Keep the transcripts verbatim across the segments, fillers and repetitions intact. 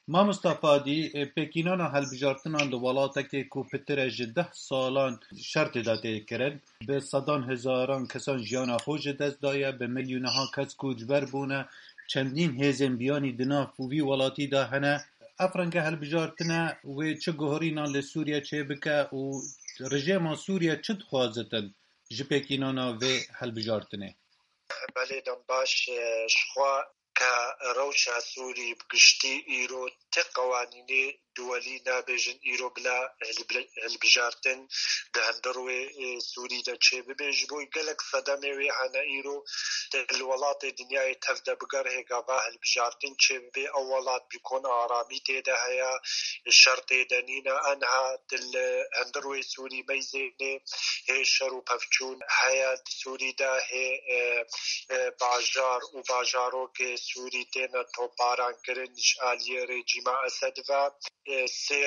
Mamosta Fadî, e, pêkînana hilbijartinan li welatekê ku pitir e ji deh salan şer tê de tê kirin, bi sedan hezaran kesan jiyana xwe ji dest daye, bi milyonehan kes koçber bûne, çendîn hêzên biyanî di nav û vî welatî de hene. Ev renge hilbijartine wê çi guherînan li Sûriye çêbike û rejêma Sûriye çi dixwazitin ji pêkînana vê hilbijartinê? Belê dem baş, e, ji xwe ke rewşa Sûrî bi giştî îro ti qewanînê duwelî nabêjin îro bila hilbi-, hilbijartin di hundir wê, e, Sûrî de çêbibe. Ji bo gelek sedemê wê hene îro di li welatê dinyayê tev de bigerhê gava hilbijartin çêbibe. Ew welat bîkon aramî tê de heye, şer tê de nîne. Enha di li hundir wê Sûrî meyzênê hê şer û pevçûn heye di Sûrî de, hê, e, e, bajar û bajarokê Sûrî têne toparankirin ji aliyê rejîma Esed ve. E, sê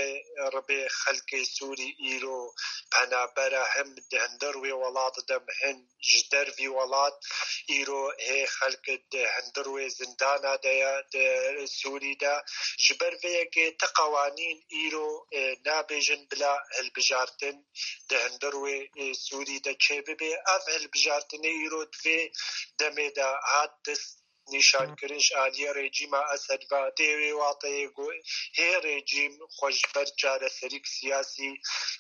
ribê xelkê Sûrî îro penaber e, him di hundir wê welat de, him ji dervî welat. Îro hê xelk di hundir wê zindana de ye di Sûrî de. Ji ber vê yekê ti qewanîn îro, e, nabêjin bila hilbijartin di hundir wê, e, Sûrî de çêbibe. Ev hilbijartinê îro di vê demê de hat dest nîşankirin ji aliyê rejîma Esed ve. Tê wê wateyê ku hê rejîm xwe ji ber çareserîk siyasî,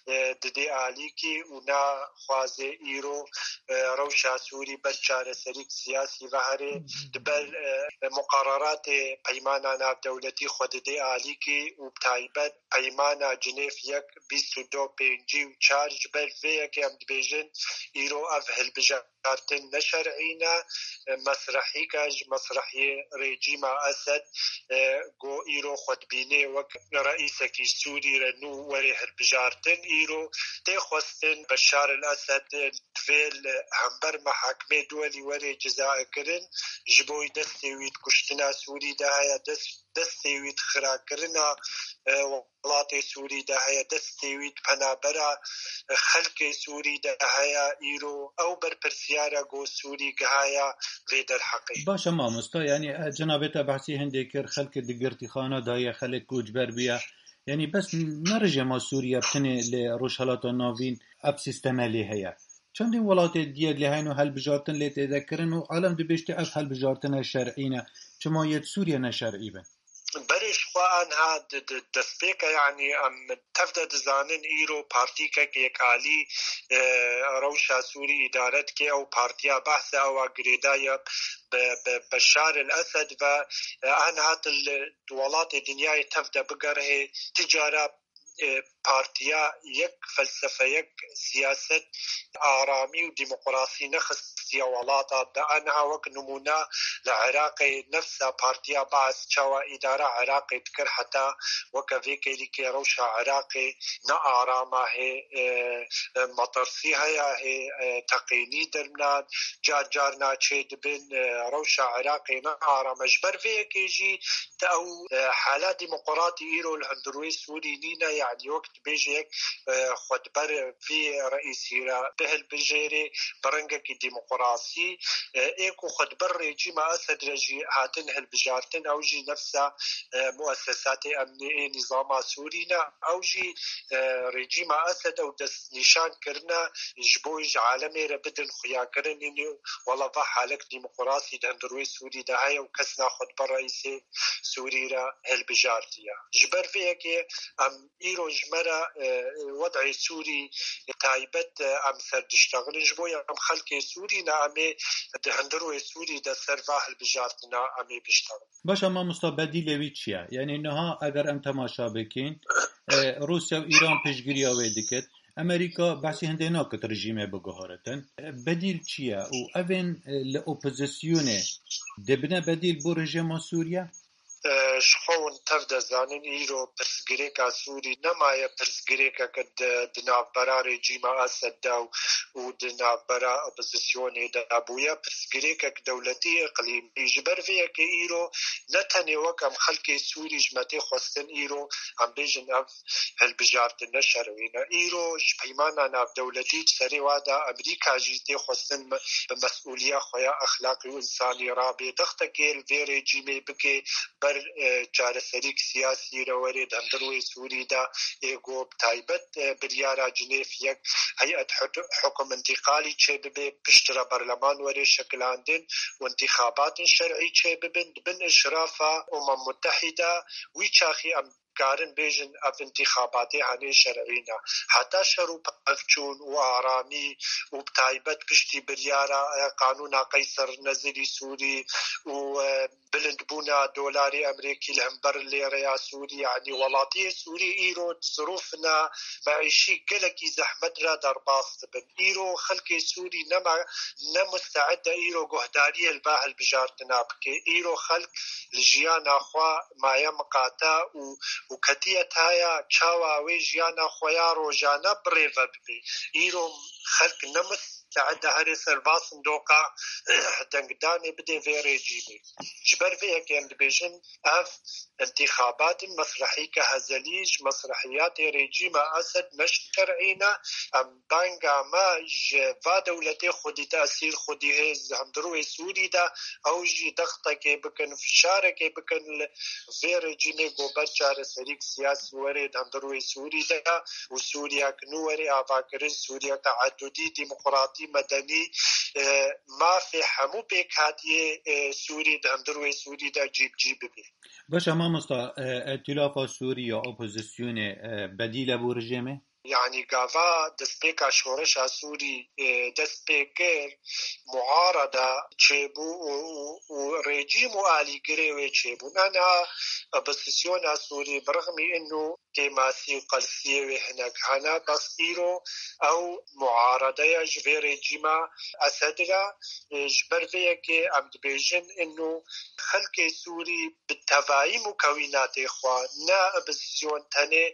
e, didê alîkî û naxwaze îro, e, rewşa Sûrî ber çareserîk siyasî ve here. Di ber, e, muqereratê peymana navdewletî xwe didê alîkî û bi taybet peymana Cinêv yek, bîst û du, pêncî û çar, ji ber vê yekê em dibêjin îro ev hilbijartin ne şer'î ne, e, mesrehîka ji mesrehiyê rejîma Esed, e, ku îro xwe dibîne wek reîsekî Sûrî re nû were hilbijartin, îro tê xwestin Beşar el Esed, e, divê li hember mehakimê duwelî were cezakirin, ji bo destê wî di kuştina Sûrî de heye, dest, destê wî di xirakirina, e, welatê Sûrî de heye, destê wî di penabera, e, xelkê Sûrî de heye. Îro ew berpirsiyar e ku Sûrî gihaye vê derheqê. Baş e mamosta, yanî, e, cenabê te behsî hindê kir, xelkê di girtîxana de ye, xelk koçber bûye. Yanî bes ne rejêma Sûriye bi tenê li Rojhelata Navîn ev sîsteme lê heye. Çendîn welatê diyê lê heyno hilbijartin lê tê de kirin û alem dibêjte ev hilbijartine şer'î ne. Çima yê di Sûriye ne şer'î bin? Berê ji xwe anha di, di destpêke, yanî em tev de dizanin îro partîkek yek alî, e, rewşa Sûrî îdare dike. Ew partiya Behs e, ewa girêdaye bi, bi Beşar el Esed ve, e, anha di li welatê dinyayê tev de bigerhê, ti cara, e, partiya yek felsefe, yek siyaset, aramî û demokrasî nexistiye welata de. Enha wek nimûne li Iraqê nefsa partiya Baas çawa îdara Iraqê dikir, heta weke vê kêlîkê rewşa Iraqê ne arama hê, e, e, metirsî heye, hê, e, teqînî derminan, car car naçê dibin, e, rewşa Iraqê ne arama. Ji ber vê yekê jî te ew, e, hala demokratî îro li hundir wê Sûrî nîne, yanî wek dibêje yek, e, xwedber vî reîsî re bihilbijêrê bi rengekî demokrasî, e, ê ku xwedber rejîma Esed re jî hatin hilbijartin, ew jî nefsa, e, muessesatê emnî ê nîzama Sûrî ne, ew jî, e, rejîma Esed ew destnîşan kirine ji bo ji alemê re bidin xuyakirin, înî wela va halek demokrasî di hundir wê Sûrî de heye û kes naxwe dibe reîsê Sûrî re hilbijartiye. Ji ber vê yekê em îro ji me re, e, wed'ê Sûrî taybet, e, em ser diştexilin. Ji bo em xelkê Sûrî ne, em ê di hundir wê Sûrî de ser va hilbijartina em ê biştexilin. Baş e, mamosta, bedîlê wî çi ye? Yanî niha eger em temaşa bikin, e, Rûsya û Îran piştgiriya wê dikit. Amerîka behsî hindê nakit rejîmê biguheritin. E, bedîl çi ye? Û evên, e, li opozisyonê dibine bedîl bo rejîma Sûriye? E, ji xwe hûn tev de zanin, îro pirsgirêka Sûrî nemaye pirsgirêkeke di, di navbera rejîma Esed de û, û di navbera opozisyonê de bûye. Pirsgirêkek dewletî, îqlîmî. Ji ber vê yekê îro ne tenê wek em xelkê Sûrî ji me tê xwestin, îro em bêjin ev hilbijartin ne şer'î ne. Îro ji peymana navdewletî, ji serê wa de Amerîka jî tê xwestin me-, bi mesûliya xwe ya exlaqî û însanî rabe, dextekê li vê rejîmê bike ber, e, e, çareserîk siyasî re werê di hundir wê Sûrî de ê ku bi taybet, e, biryara Cinêv yek heyet hut-, hukum întîqalî çêbibe, piştre berleman were şekilandin û întîxabatên şer'î çêbibin, di bin îşrafa Umem Mutehîde, wî çaxî em karin bêjin ev întîxabatê henê şer'î ne. Heta şer û pevçûn û aramî û bi taybet piştî biryara, e, qanûna Qeyser Nezirî Sûrî û, e, bilindbûna dolarê Amerîkî li hember lêreya Sûrî, yanî welatiyê Sûrî îro di zirûfina meîşî gelekî zehmet re derbas dibin. Îro xelkê Sûrî nema, ne musteed e îro guhdariyê li ba hilbijartina bike. Îro xelk li jiyana xwe maye miqate û, û ketiye taya çawa wê jiyana xwe ya rojane birêve bibe. Îro xelk ne musteed e herê serbas sindoqa dengdanê bide vê rejîmê. Ji ber vê yekê em dibêjin ev întîxabatên mesrehîke hezelî ji mesrehiyatê rejîma Esed ne şer'î ne. Em banga me ji va dewletê xwedî tesîr xwedî hêz di hundir wê Sûrî de ew jî dextekê bikin, fişarekê bikin li vê rejîmê ku ber çareserîk siyasî were di hundir wê Sûrî de û Sûriyek nû were avakirin, Sûriyek teedudî, demokratî, medenî, e, mafê hemû pêkhatiyê, e, Sûrî di hundir wê Sûrî de cî bi cî bibe. Baş e mamosta, e, Îtîlafa Sûrî ya opozisyonê, e, bedîl e bo rejîmê? Yanî gava destpêka şoreşa Sûrî, e, dest pê kir, muarada çêbû û, û, û rejîm û alîgirê wê çêbûn. Ana opozisyona Sûrî bi rixmî inu kêmasî û qelsiyê wê hinek hene, bes îro ew muaradeya ji vê rejîma Esed re, e, ji ber vê yekê em dibêjin inu xelkê Sûrî bi tevayî mukewînatê xwe, ne opozisyon tenê,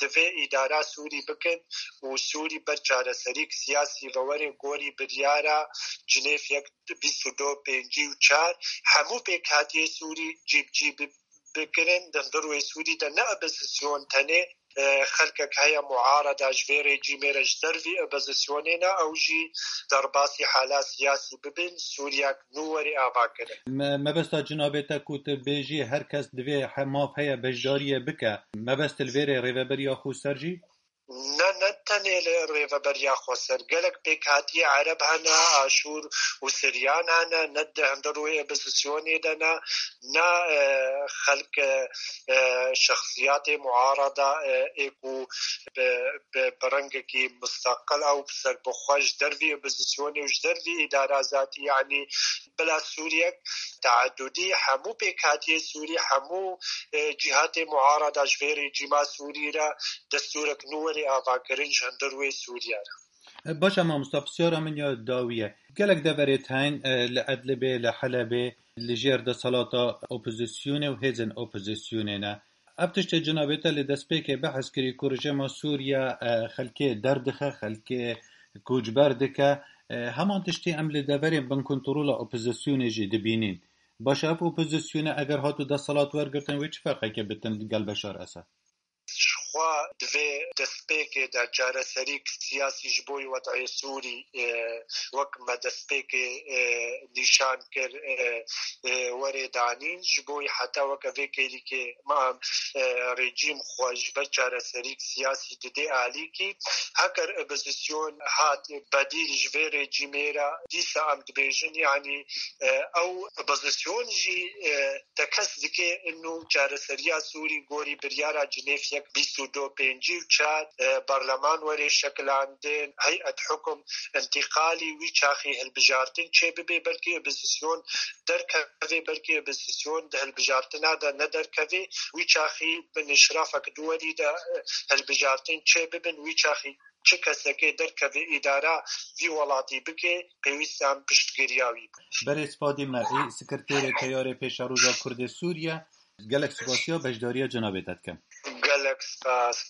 divê îdara Sûrî bikin û Sûrî ber çareserîk siyasî ve were gorî biryara Cinêv yek bîst û du pêncî û çar hemû pêkhatiyê Sûrî cî bi cî bi-, bikirin. Di hundir wê Sûrî de ne opozisyon tenê, e, xelkek heye muarada ji vê rejîmê re ji dervî opozisyonê ne, ew jî derbasî hala siyasî bibin, Sûriyek nû were avakirin. Me-, mebesta cinabê te ku tu bêjî her kes divê he-, maf heye beşdariyê bike. Mebest li vê rê rêveberiya xweser jî? Ne, ne tenê li rêveberiya xweser. Gelek pêkhatiyê Ereb hene, Aşûr û Siryan hene, ne di hundir wê opozisyonê de ne, ne, e, xelk, e, e, şexsiyatê muarada, e, ê ku bi, bi, bi rengekî musteqil ew serbixwe ji dervî opozisyonê û ji dervî îdara zatî, yanî bila Sûriyek teedudî, hemû pêkhatiyê Sûrî, hemû, e, cîhatê muarada ji vê rejîma Sûrî re destûrek nû were avakirin ji hundir wê Sûriye re. Baş e mamosta, pisyara min ya dawî ye. Gelek deverê teyn, e, li Idlibê, li Helebê, li jêr desthilata opozisyonê û hêzên opozisyonê ne. Ev tiştê cinabê te li destpêkê behs kirî ku rejîma Sûriye, e, xelkê derdixe, xelkê koçber dike. E, heman tiştê em li deverên binkontrola opozisyonê jî dibînîn. Baş e, ev opozisyonê eger hatu desthilat wergirtin, wê çi ferqekê bitin li gel Beşar Esed? Xwe di vê destpêkê de çareserîk siyasî ji bo wed'ê Sûrî, e, wek me destpêkê, e, nîşan kir, e, e, were danîn, ji bo heta weke vê kêlîkê me, e, rejîm xwe ji ber çareserîk siyasî dide alîkî. Heger opozisyon hat bedîl ji vê rejîmê re, dîsa em dibêjin, yanî, e, ew opozisyon jî, e, tekez dike inu çareseriya Sûrî gorî biryara Cinêv yek bîst û du pêncî û çar, e, berleman were şekilandin, heyet hukum întîqalî wî çaxî hilbijartin çêbibe, belkî opozisyon derkeve, belkî opozisyon di hilbijartina de nederkeve, wî çaxî bi nişrafek duwerî de, e, hilbijartin çêbibin, wî çaxî çi kesekê derkeve îdara vî welatî bike, pêwîst em piştgiriya wî bû. Berêz Fadî Mer'î, Sekreterê Teyarê Pêşeroja Kurdê Sûriye, gelek spasiya beşdariya cenabê te dikim. Gelek spas.